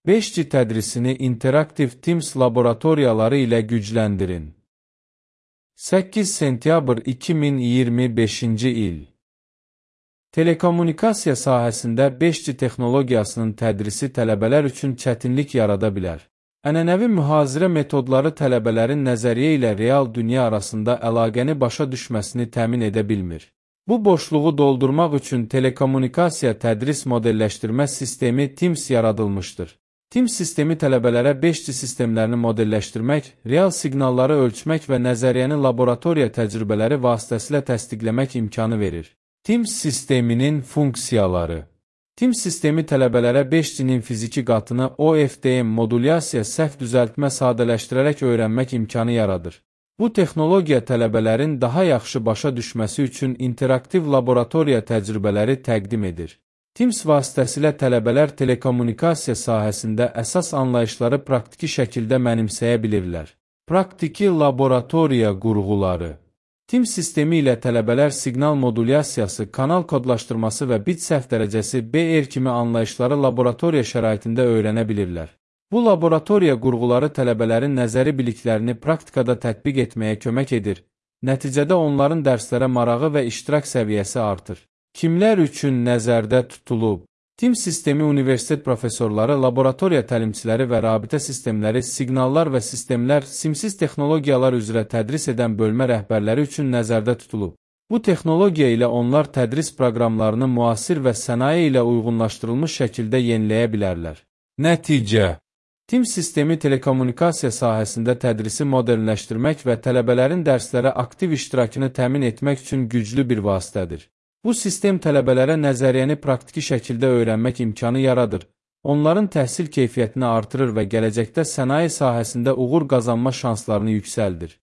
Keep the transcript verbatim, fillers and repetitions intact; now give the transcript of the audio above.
beş G tədrisini interaktiv Teams laboratoriyaları ilə gücləndirin. səkkiz sentyabr iki min iyirmi beşinci il. Telekommunikasiya sahəsində beş G texnologiyasının tədrisi tələbələr üçün çətinlik yarada bilər. Ənənəvi mühazirə metodları tələbələrin nəzəriyyə ilə real dünya arasında əlaqəni başa düşməsini təmin edə bilmir. Bu boşluğu doldurmaq üçün telekommunikasiya tədris modelləşdirmə sistemi Teams yaradılmışdır. Teams sistemi tələbələrə beş G sistemlərini modelləşdirmək, real siqnalları ölçmək və nəzəriyyəni laboratoriya təcrübələri vasitəsilə təsdiqləmək imkanı verir. Teams sisteminin funksiyaları. Teams sistemi tələbələrə beş G-nin fiziki qatını O F D M modulyasiya səhv düzəltmə sadələşdirərək öyrənmək imkanı yaradır. Bu texnologiya tələbələrin daha yaxşı başa düşməsi üçün interaktiv laboratoriya təcrübələri təqdim edir. Teams vasitəsilə tələbələr telekommunikasiya sahəsində əsas anlayışları praktiki şəkildə mənimsəyə bilirlər. Praktiki laboratoriya qurğuları. Teams sistemi ilə tələbələr siqnal modulyasiyası, kanal kodlaşdırması və bit səhv dərəcəsi B R kimi anlayışları laboratoriya şəraitində öyrənə bilirlər. Bu laboratoriya qurğuları tələbələrin nəzəri biliklərini praktikada tətbiq etməyə kömək edir. Nəticədə onların dərslərə marağı və iştirak səviyyəsi artır. Kimlər üçün nəzərdə tutulub? Teams sistemi universitet professorları, laboratoriya təlimçiləri və rabitə sistemləri, siqnallar və sistemlər, simsiz texnologiyalar üzrə tədris edən bölmə rəhbərləri üçün nəzərdə tutulub. Bu texnologiya ilə onlar tədris proqramlarını müasir və sənaye ilə uyğunlaşdırılmış şəkildə yeniləyə bilərlər. Nəticə. Teams sistemi telekommunikasiya sahəsində tədrisi modernləşdirmək və tələbələrin dərslərə aktiv iştirakını təmin etmək üçün güclü bir vasitədir. Bu sistem tələbələrə nəzəriyyəni praktiki şəkildə öyrənmək imkanı yaradır, onların təhsil keyfiyyətini artırır və gələcəkdə sənaye sahəsində uğur qazanma şanslarını yüksəldir.